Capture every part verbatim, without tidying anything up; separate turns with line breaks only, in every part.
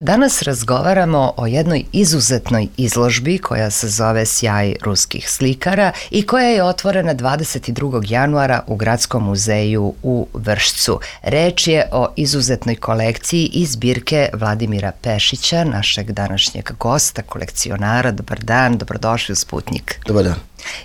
Danas razgovaramo o jednoj izuzetnoj izložbi koja se zove Sjaj ruskih slikara i koja je otvorena dvadeset drugog januara u Gradskom muzeju u Vršcu. Reč je o izuzetnoj kolekciji iz zbirke Vladimira Pešića, našeg današnjeg gosta, kolekcionara. Dobar dan, dobrodošli u Sputnjik.
Dobar dan.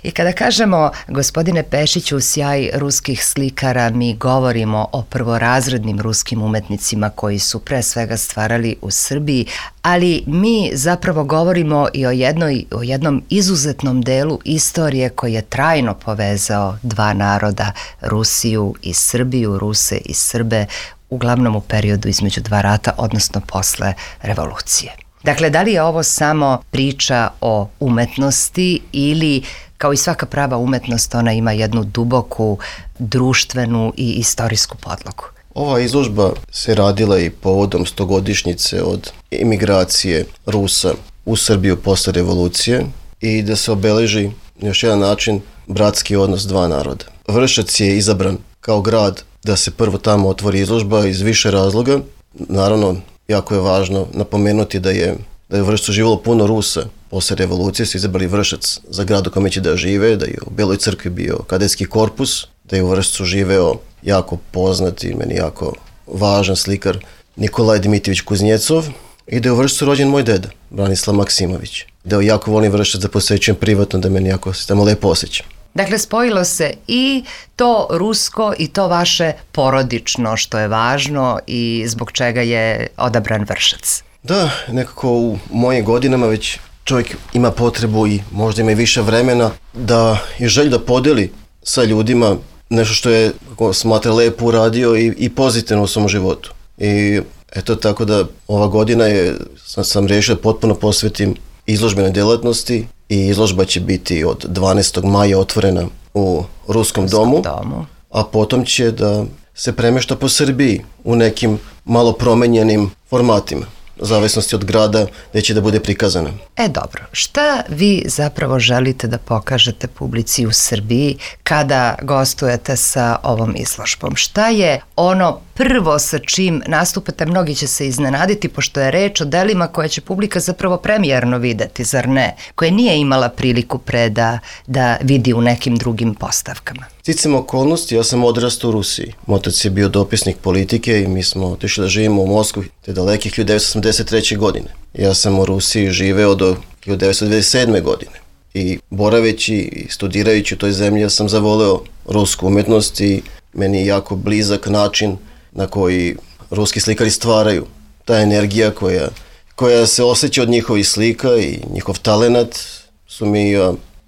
I kada kažemo, gospodine Pešiću, Sjaj ruskih slikara, mi govorimo o prvorazrednim ruskim umetnicima koji su pre svega stvarali u Srbiji, ali mi zapravo govorimo i o, jednoj, o jednom izuzetnom delu istorije koji je trajno povezao dva naroda, Rusiju i Srbiju, Ruse i Srbe, uglavnom u periodu između dva rata, odnosno posle revolucije. Dakle, da li je ovo samo priča o umetnosti ili, kao i svaka prava umetnost, ona ima jednu duboku društvenu i istorijsku podlogu?
Ova izložba se radila i povodom stogodišnjice od imigracije Rusa u Srbiju posle revolucije i da se obeleži na još jedan način bratski odnos dva naroda. Vršac je izabran kao grad da se prvo tamo otvori izložba iz više razloga. Naravno, jako je važno napomenuti da je, da je u Vršcu živjelo puno Rusa. Posle revolucije su izabrali Vršac za grad u kome će da žive, da je u Beloj crkvi bio kadetski korpus, da je u Vršcu živeo jako poznat i meni jako važan slikar Nikolaj Dimitrijević Kuznjecov i da je u Vršcu rođen moj deda, Branislav Maksimović. Da je jako volim Vršac, da posećujem privatno, da meni jako se tamo lepo osjećam.
Dakle, spojilo se i to rusko i to vaše porodično, što je važno i zbog čega je odabran Vršac.
Da, nekako u mojim godinama već čovjek ima potrebu i možda ima i više vremena da je želj da podeli sa ljudima nešto što je, kako smatra, lepo uradio i, i pozitivno u svom životu. I eto, tako da ova godina je, sam, sam rešio da potpuno posvetim izložbenoj delatnosti i izložba će biti od dvanaestog maja otvorena u Ruskom domu,
domu,
a potom će da se premešta po Srbiji u nekim malo promenjenim formatima, u zavisnosti od grada gde će da bude prikazana.
E dobro, šta vi zapravo želite da pokažete publici u Srbiji kada gostujete sa ovom izložbom? Šta je ono prvo sa čim nastupate? Mnogi će se iznenaditi, pošto je reč o delima koje će publika zapravo premijerno videti, zar ne? Koje nije imala priliku pre da, da vidi u nekim drugim postavkama.
Sticam okolnosti, ja sam odrastao u Rusiji. Moj otac je bio dopisnik politike i mi smo otišli da živimo u Moskvu te daleke hiljadu devetsto osamdeset treće. godine. Ja sam u Rusiji živeo do hiljadu devetsto devedeset sedme. godine i boraveći i studirajući u toj zemlji ja sam zavoleo rusku umetnost i meni je jako blizak način na koji ruski slikari stvaraju. Ta energija koja, koja se osjeća od njihovih slika i njihov talenat su mi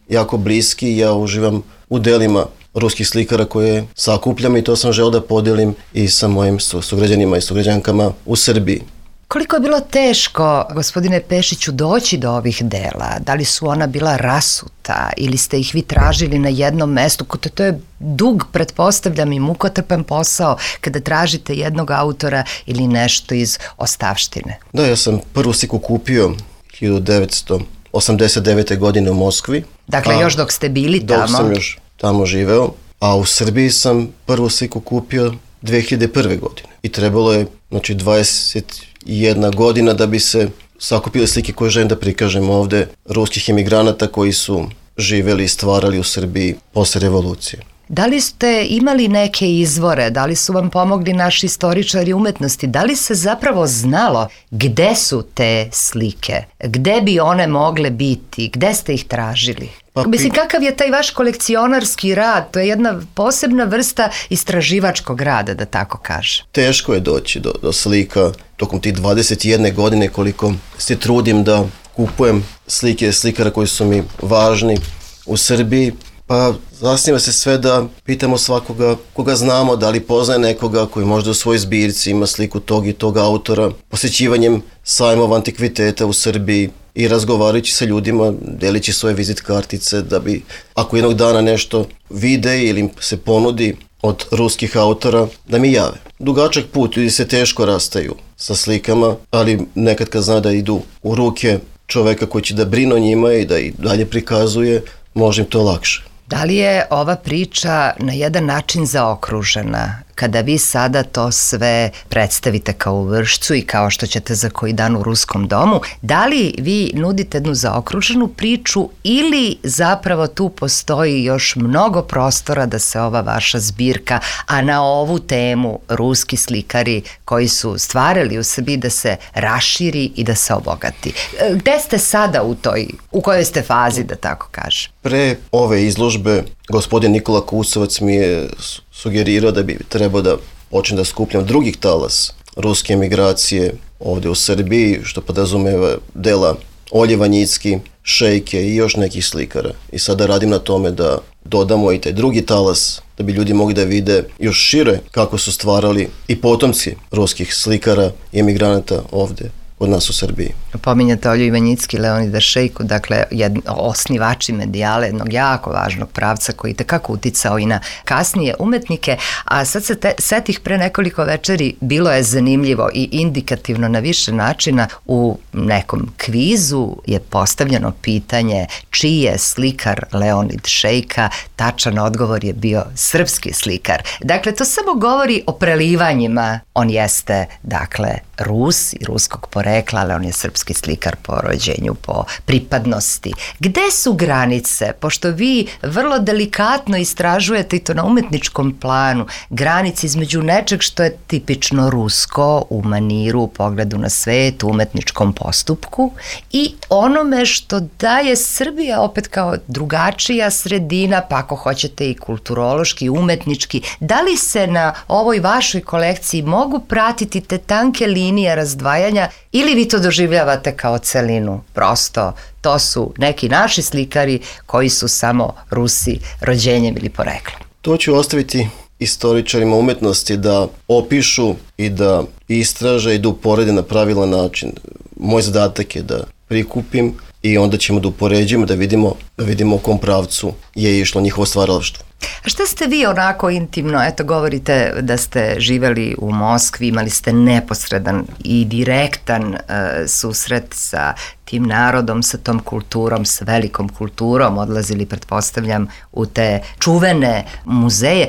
jako bliski i ja uživam u delima ruskih slikara koje sakupljam i to sam želeo da podelim i sa mojim sugrađanima i sugrađankama u Srbiji.
Koliko je bilo teško, gospodine Pešiću, doći do ovih dela? Da li su ona bila rasuta ili ste ih vi tražili na jednom mestu? To je dug, pretpostavljam, i mukotrpan posao kada tražite jednog autora ili nešto iz ostavštine.
Da, ja sam prvu sliku kupio hiljadu devetsto osamdeset devete. godine u Moskvi.
Dakle, a, još dok ste bili tamo?
Dok sam još tamo živeo, a u Srbiji sam prvu sliku kupio dve hiljade prve. godine. I trebalo je, znači, dvadeset jedna godina da bi se sakupile slike koje želim da prikažem ovde ruskih emigranata koji su živeli i stvarali u Srbiji posle revolucije.
Da li ste imali neke izvore, da li su vam pomogli naši istoričari umetnosti, da li se zapravo znalo gde su te slike, gde bi one mogle biti, gde ste ih tražili? Pa, Mislim, kakav je taj vaš kolekcionarski rad? To je jedna posebna vrsta istraživačkog rada, da tako kažem.
Teško je doći do, do slika tokom tih dvadeset jedne. godine koliko se trudim da kupujem slike slikara koji su mi važni u Srbiji. Pa zasniva se sve da pitamo svakoga koga znamo, da li poznaje nekoga koji možda u svojoj zbirci ima sliku tog i tog autora, posjećivanjem sajmova antikviteta u Srbiji i razgovarajući sa ljudima, delići svoje vizit kartice da bi, ako jednog dana nešto vide ili im se ponudi od ruskih autora, da mi jave. Dugačak put, ljudi se teško rastaju sa slikama, ali nekad kad zna da idu u ruke čoveka koji će da brine o njima i da ih dalje prikazuje, može im to lakše.
Da li je ova priča na jedan način zaokružena kada vi sada to sve predstavite kao u Vršcu i kao što ćete za koji dan u Ruskom domu, da li vi nudite jednu zaokruženu priču ili zapravo tu postoji još mnogo prostora da se ova vaša zbirka, a na ovu temu ruski slikari koji su stvarali u Srbiji, da se raširi i da se obogati? Gde ste sada u toj, u kojoj ste fazi, da tako kažem?
Pre ove izložbe gospodin Nikola Kusovac mi je sugerirao da bi trebao da počne da skupljam drugih talas ruske emigracije ovde u Srbiji, što podrazumeva dela Olje Vanjicki, Šejke i još nekih slikara. I sada radim na tome da dodamo i taj drugi talas, da bi ljudi mogli da vide još šire kako su stvarali i potomci ruskih slikara i emigranata ovde od nas u Srbiji.
Pominjate Olju Ivanjicki, Leonida Šejku, dakle jedno, osnivači medijale, jednog jako važnog pravca koji tekako uticao i na kasnije umetnike, a sad se te, setih pre nekoliko večeri, bilo je zanimljivo i indikativno na više načina. U nekom kvizu je postavljeno pitanje čiji je slikar Leonid Šejka, tačan odgovor je bio srpski slikar. Dakle, to samo govori o prelivanjima. On jeste, dakle, Rus i ruskog porekla, ali on je srpski slikar po rođenju, po pripadnosti. Gde su granice? Pošto vi vrlo delikatno istražujete i to na umetničkom planu, granice između nečeg što je tipično rusko u maniru, u pogledu na svet, u umetničkom postupku i onome što daje Srbija opet kao drugačija sredina, pa ako hoćete i kulturološki, i umetnički. Da li se na ovoj vašoj kolekciji mogu pratiti te tanke linije razdvajanja ili vi to doživljavate kao celinu? Prosto, to su neki naši slikari koji su samo Rusi rođenjem ili poreklom.
To ću ostaviti istoričarima umetnosti da opišu i da istraže i da uporede na pravilan način. Moj zadatak je da prikupim i onda ćemo da upoređujemo, da vidimo, da vidimo u kom pravcu je išlo njihovo stvaralaštvo.
A šta ste vi onako intimno, eto govorite da ste živeli u Moskvi, imali ste neposredan i direktan uh, susret sa tim narodom, sa tom kulturom, sa velikom kulturom, odlazili, pretpostavljam, u te čuvene muzeje.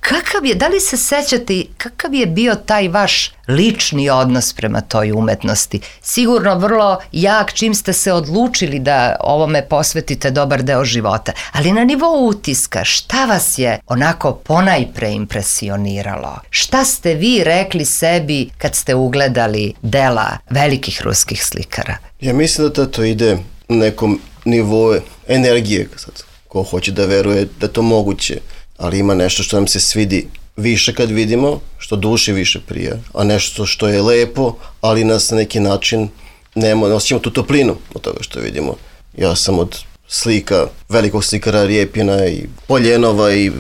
Kakav je, da li se sećate, kakav je bio taj vaš lični odnos prema toj umetnosti? Sigurno vrlo jak čim ste se odlučili da ovome posvetite dobar deo života, ali na nivou utiska, šta vas je onako ponajpre impresioniralo? Šta ste vi rekli sebi kad ste ugledali dela velikih ruskih slikara?
Ja mislim da to ide na nekom nivou energije, sad, ko hoće da veruje da je to moguće, ali ima nešto što nam se svidi više kad vidimo, što duši više prija, a nešto što je lepo, ali nas na neki način nema, osjećamo tu toplinu od toga što vidimo. Ja sam od slika velikog slikara Rijepina i Poljenova i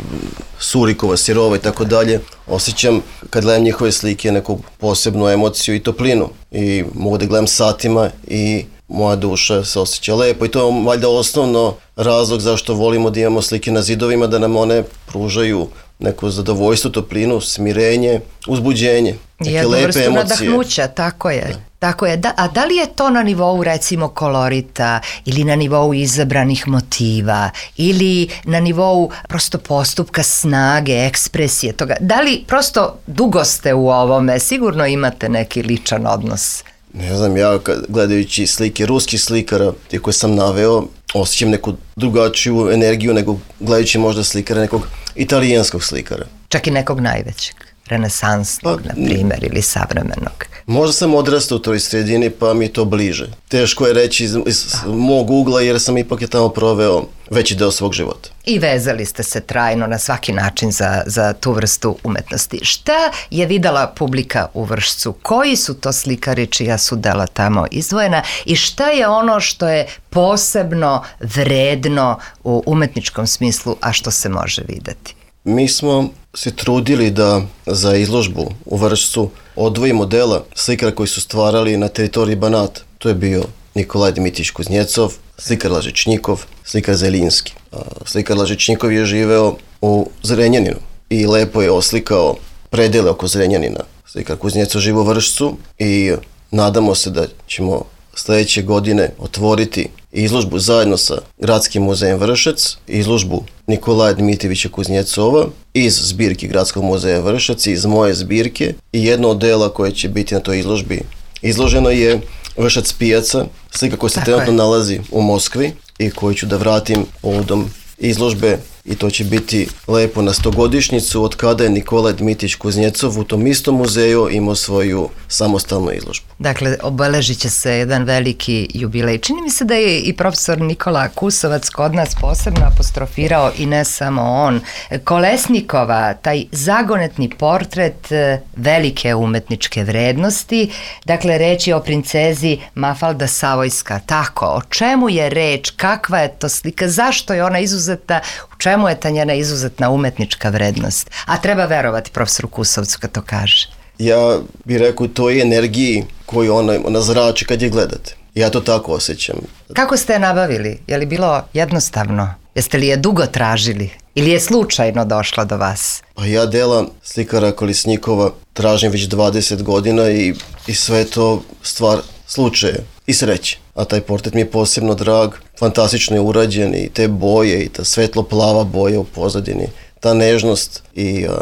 Surikova, Sirova i tako dalje, osjećam kad gledam njihove slike neku posebnu emociju i toplinu i mogu da gledam satima i moja duša se osjeća lepo i to je valjda osnovno razlog zašto volimo da imamo slike na zidovima, da nam one pružaju neko zadovoljstvo, toplinu, smirenje, uzbuđenje, neke
jednu
lepe
vrstu
emocije.
nadahnuća, tako je.
Da.
Tako je, da, a da li je to na nivou recimo kolorita ili na nivou izabranih motiva ili na nivou prosto postupka snage, ekspresije toga? Da li prosto dugo ste u ovome, sigurno imate neki ličan odnos?
Ne znam, ja gledajući slike ruskih slikara, te koje sam naveo, osjećam neku drugačiju energiju nego gledajući možda slikara nekog italijanskog slikara.
Čak i nekog najvećeg, renesansnog,
pa,
na primjer, ili savremenog.
Možda sam odrastao u toj sredini pa mi je to bliže. Teško je reći iz, iz mog ugla jer sam ipak je tamo proveo veći deo svog života.
I vezali ste se trajno na svaki način za, za tu vrstu umetnosti. Šta je videla publika u Vršcu? Koji su to slikari čija su dela tamo izdvojena i šta je ono što je posebno vredno u umetničkom smislu, a što se može videti?
Mi smo se trudili da za izložbu u Vršcu odvojimo dela slikara koji su stvarali na teritoriji Banata. To je bio Nikolaj Dmitrijević Kuznjecov, slikar Lažečnikov, slikar Zelinski. Slikar Lažečnikov je živeo u Zrenjaninu i lepo je oslikao predele oko Zrenjanina. Slikar Kuznjecov živi u Vršcu i nadamo se da ćemo sledeće godine otvoriti izložbu zajedno sa Gradskim muzejem Vršac, izložbu Nikolaja Dmitrijevića Kuznjecova iz zbirki Gradskog muzeja Vršac, iz moje zbirke, i jedno od dela koje će biti na toj izložbi izloženo je Vršac pijaca, slika koja se
Tako
trenutno
je.
nalazi u Moskvi i koju ću da vratim povodom izložbe, i to će biti lepo na stogodišnjicu od kada je Nikolaj Dmitrijević Kuznjecov u tom istom muzeju imao svoju samostalnu izložbu.
Dakle, obeležit će se jedan veliki jubilej. Čini mi se da je i profesor Nikola Kusovac kod nas posebno apostrofirao, i ne samo on, Kolesnikova, taj zagonetni portret e, velike umetničke vrednosti. Dakle, reč je o princezi Mafalda Savojska. Tako, o čemu je reč, kakva je to slika, zašto je ona izuzetna, u čemu je ta njena izuzetna umetnička vrednost? A treba verovati profesoru Kusovcu kad to kaže.
Ja bih rekao toj energiji koju ona, ona zrači kad je gledate. Ja to tako osjećam.
Kako ste je nabavili? Je li bilo jednostavno? Jeste li je dugo tražili? Ili je slučajno došla do vas?
Pa ja dela slikara Kolesnikova tražim već dvadeset godina i, i sve to stvar slučaja i sreće. A taj portret mi je posebno drag, fantastično je urađen, i te boje i ta svetlo-plava boja u pozadini, ta nežnost i a,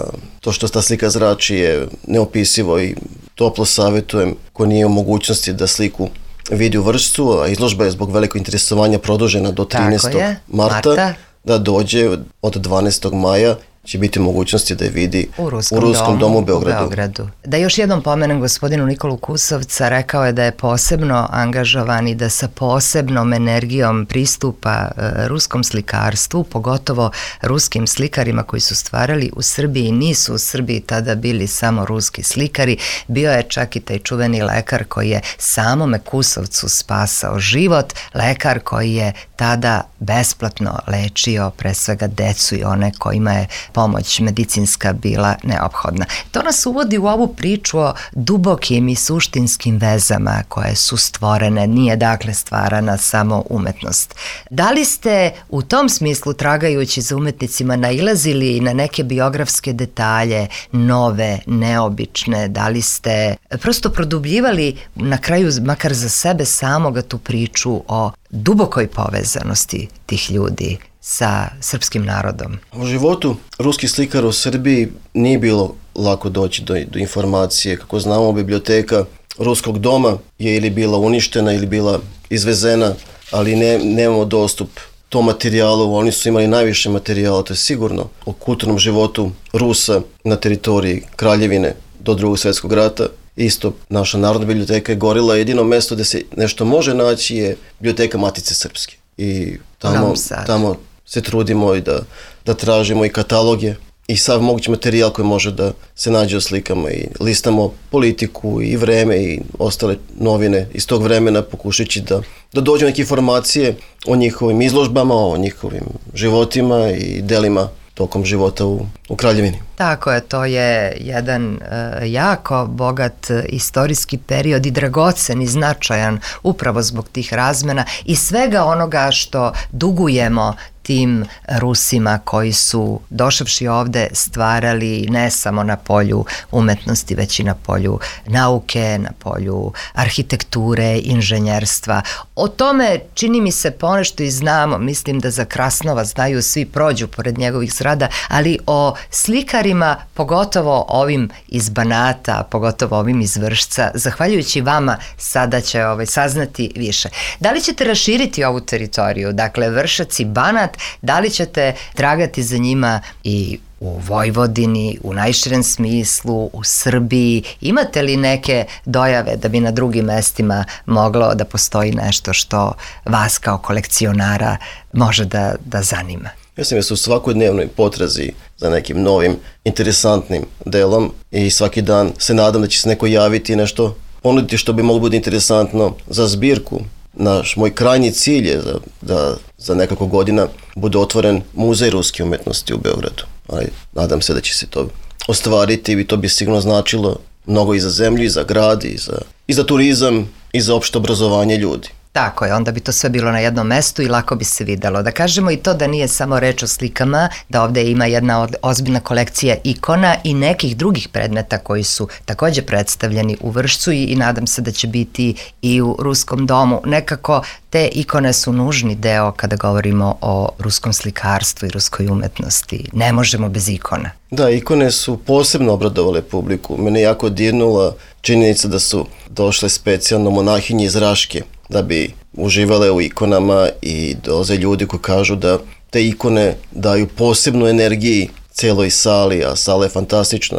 to što ta slika zrači je neopisivo, i toplo savjetujem ko nije u mogućnosti da sliku vidi u Vršcu, a izložba je zbog velikog interesovanja produžena do trinaestog marta, Marta, da dođe od dvanaestog maja će biti mogućnosti da je vidi
u Ruskom,
u Ruskom domu, domu u Beogradu.
u Beogradu. Da još jednom pomenem gospodinu Nikolu Kusovca, rekao je da je posebno angažovan i da sa posebnom energijom pristupa e, ruskom slikarstvu, pogotovo ruskim slikarima koji su stvarali u Srbiji. Nisu u Srbiji tada bili samo ruski slikari, bio je čak i taj čuveni lekar koji je samome Kusovcu spasao život, lekar koji je tada besplatno lečio pre svega decu i one kojima je pomoć medicinska bila neophodna. To nas uvodi u ovu priču o dubokim i suštinskim vezama koje su stvorene, nije dakle stvarana samo umetnost. Da li ste u tom smislu, tragajući za umetnicima, nailazili na neke biografske detalje, nove, neobične? Da li ste prosto produbljivali na kraju, makar za sebe samoga, tu priču o dubokoj povezanosti tih ljudi sa srpskim narodom?
U životu ruskih slikara u Srbiji nije bilo lako doći do, do informacije. Kako znamo, biblioteka Ruskog doma je ili bila uništena ili bila izvezena, ali ne, nemamo dostup tom materijalu. Oni su imali najviše materijala, to je sigurno, o kulturnom životu Rusa na teritoriji Kraljevine do Drugog svjetskog rata. Isto, naša Narodna biblioteka je gorila, jedino mesto gde se nešto može naći je biblioteka Matice Srpske. I tamo, tamo se trudimo i da, da tražimo i kataloge i sav mogući materijal koji može da se nađe u slikama, i listamo politiku i vreme i ostale novine iz tog vremena, pokušajući da, da dođu neke informacije o njihovim izložbama, o njihovim životima i delima tokom života u, u Kraljevini.
Tako je, to je jedan e, jako bogat istorijski period i dragocen i značajan upravo zbog tih razmena i svega onoga što dugujemo tim Rusima koji su došavši ovde stvarali ne samo na polju umetnosti, već i na polju nauke, na polju arhitekture, inženjerstva. O tome čini mi se ponešto i znamo, mislim da za Krasnova znaju, svi prođu pored njegovih zgrada, ali o slikarima, pogotovo ovim iz Banata, pogotovo ovim iz Vršca, zahvaljujući vama sada će ovaj, saznati više. Da li ćete raširiti ovu teritoriju, dakle Vršac i Banat, da li ćete tragati za njima i u Vojvodini, u najširem smislu, u Srbiji? Imate li neke dojave da bi na drugim mestima moglo da postoji nešto što vas kao kolekcionara može da, da zanima?
Mislim da su u svakodnevnoj potrazi za nekim novim, interesantnim delom i svaki dan se nadam da će se neko javiti i nešto ponuditi što bi moglo biti interesantno za zbirku. Naš, moj krajnji cilj je da, da za nekoliko godina bude otvoren muzej ruske umetnosti u Beogradu. Ali nadam se da će se to ostvariti i to bi sigurno značilo mnogo i za zemlju, i za grad, i za, i za turizam, i za opšte obrazovanje ljudi.
Tako je, onda bi to sve bilo na jednom mestu i lako bi se videlo. Da kažemo i to da nije samo reč o slikama, da ovde ima jedna ozbiljna kolekcija ikona i nekih drugih predmeta koji su takođe predstavljeni u Vršcu i, i nadam se da će biti i u Ruskom domu. Nekako te ikone su nužni deo kada govorimo o ruskom slikarstvu i ruskoj umetnosti. Ne možemo bez ikona.
Da, ikone su posebno obradovale publiku. Mene jako dirnula činjenica da su došle specijalno monahinje iz Raške da bi uživale u ikonama i dolaze ljudi koji kažu da te ikone daju posebnu energiji celoj sali, a sala je fantastična.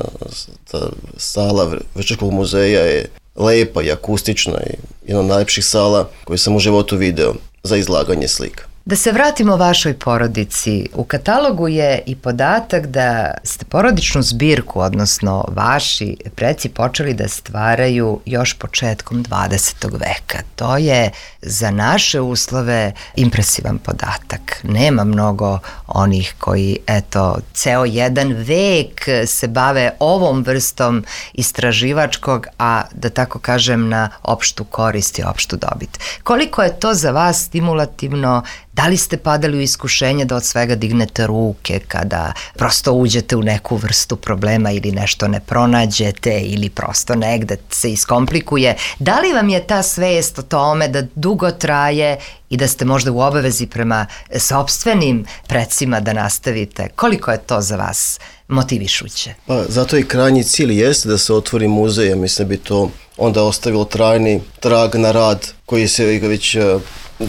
Ta sala Vršačkog muzeja je lepa i akustična i jedna od najlepših sala koju sam u životu video za izlaganje slika.
Da se vratimo vašoj porodici, u katalogu je i podatak da ste porodičnu zbirku, odnosno vaši preci počeli da stvaraju još početkom dvadesetog veka. To je za naše uslove impresivan podatak. Nema mnogo onih koji, eto, ceo jedan vek se bave ovom vrstom istraživačkog, a da tako kažem na opštu korist i opštu dobit. Koliko je to za vas stimulativno? Da li ste padali u iskušenje da od svega dignete ruke kada prosto uđete u neku vrstu problema ili nešto ne pronađete ili prosto negde se iskomplikuje? Da li vam je ta svest o tome da dugo traje i da ste možda u obavezi prema sopstvenim precima da nastavite? Koliko je to za vas motivišuće?
Pa zato i krajnji cilj jeste da se otvori muzej, ja mislim da bi to onda ostavilo trajni trag na rad koji se već,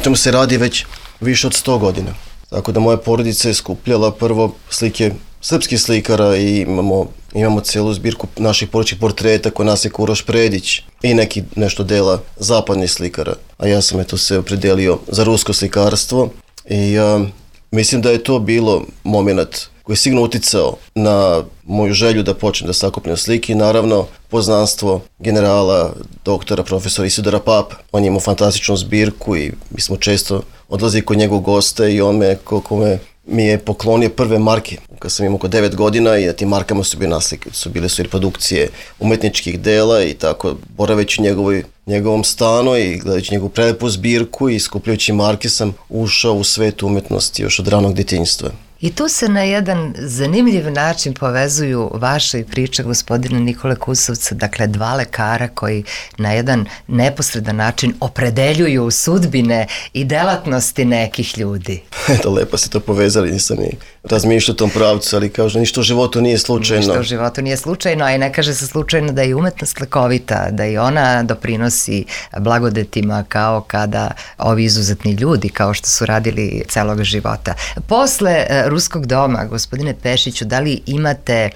čemu se radi već više od sto godina. Tako da moja porodica je skupljala prvo slike srpskih slikara i imamo, imamo celu zbirku naših porodičnih portreta koje nas je Uroš Predić i neki nešto dela zapadnih slikara. A ja sam eto se opredelio za rusko slikarstvo i a, mislim da je to bilo moment koji je sigurno uticao na moju želju da počnem da sakupljam slike i naravno poznanstvo generala, doktora, profesora Isidora Papa. On je imao fantastičnu zbirku i mi smo često odlazili kod njegovog gosta i on me, kako me, mi je poklonio prve marke kad sam imao oko devet godina i na tim markama su bile naslike, su bile su reprodukcije umetničkih dela i tako boraveći u njegovoj, njegovom stanu i gledajući njegovu prelepu zbirku i skupljajući marke sam ušao u svet umetnosti još od ranog djetinjstva.
I tu se na jedan zanimljiv način povezuju vaše priče gospodina Nikole Kusovca, dakle dva lekara koji na jedan neposredan način opredeljuju sudbine i delatnosti nekih ljudi.
Eto, lepo ste to povezali, nisam ni razmišljao u tom pravcu, ali kažu ništa u životu nije slučajno.
Ništa u životu nije slučajno, a i ne kaže se slučajno da je umetnost lekovita, da i ona doprinosi blagodetima kao kada ovi izuzetni ljudi, kao što su radili celog života. Posle Ruskog doma, gospodine Pešiću, da li imate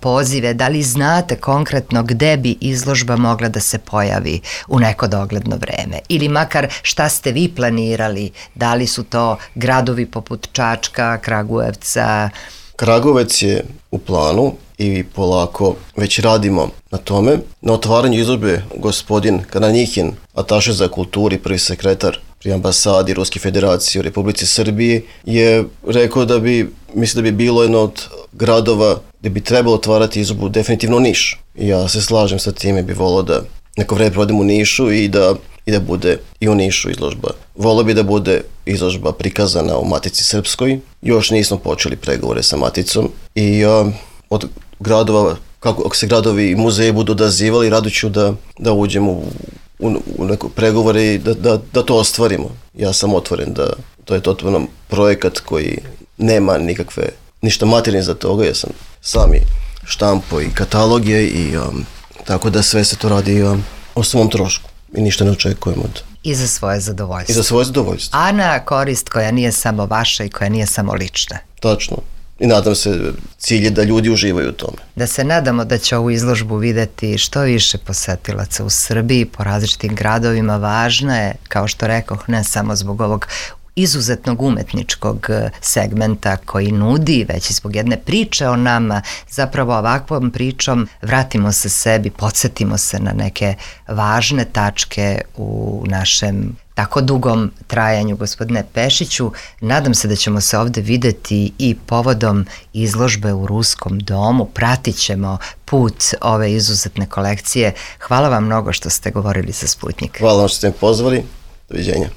pozive, da li znate konkretno gde bi izložba mogla da se pojavi u neko dogledno vreme? Ili makar šta ste vi planirali? Da li su to gradovi poput Čačka, Kragujevca?
Kragujevac je u planu i polako već radimo na tome. Na otvaranju izložbe gospodin Kananjihin, ataše za kulturu i prvi sekretar pri ambasadi Ruske federacije u Republici Srbiji, je rekao da bi, mislim da bi bilo jedno od gradova gde bi trebalo otvarati izložbu definitivno Niš. I ja se slažem sa time, bi volao da neko vreme provedem u Nišu i da, i da bude i u Nišu izložba. Volao bi da bude izložba prikazana u Matici Srpskoj. Još nismo počeli pregovore sa Maticom i a, od gradova, kako ako se gradovi i muzeji budu odazivali, rado ću da, da uđemo u u, u neko pregovore i da, da, da to ostvarimo. Ja sam otvoren da to je totalno projekat koji nema nikakve, ništa materijalne za toga, ja sam sami štampo i kataloge i um, tako da sve se to radi um, o svom trošku i ništa ne očekujemo od...
I za svoje zadovoljstvo.
I za svoje zadovoljstvo.
A na korist koja nije samo vaša i koja nije samo lična.
Tačno. I nadam se, cilj je da ljudi uživaju u tome.
Da se nadamo da će ovu izložbu videti što više posetilaca u Srbiji, po različitim gradovima. Važna je, kao što rekoh, ne samo zbog ovog izuzetnog umetničkog segmenta koji nudi, već i zbog jedne priče o nama. Zapravo ovakvom pričom vratimo se sebi, podsjetimo se na neke važne tačke u našem tako dugom trajanju, gospodine Pešiću. Nadam se da ćemo se ovde videti i povodom izložbe u Ruskom domu. Pratit ćemo put ove izuzetne kolekcije. Hvala vam mnogo što ste govorili za Sputnjik.
Hvala vam što ste me pozvali. Doviđenja.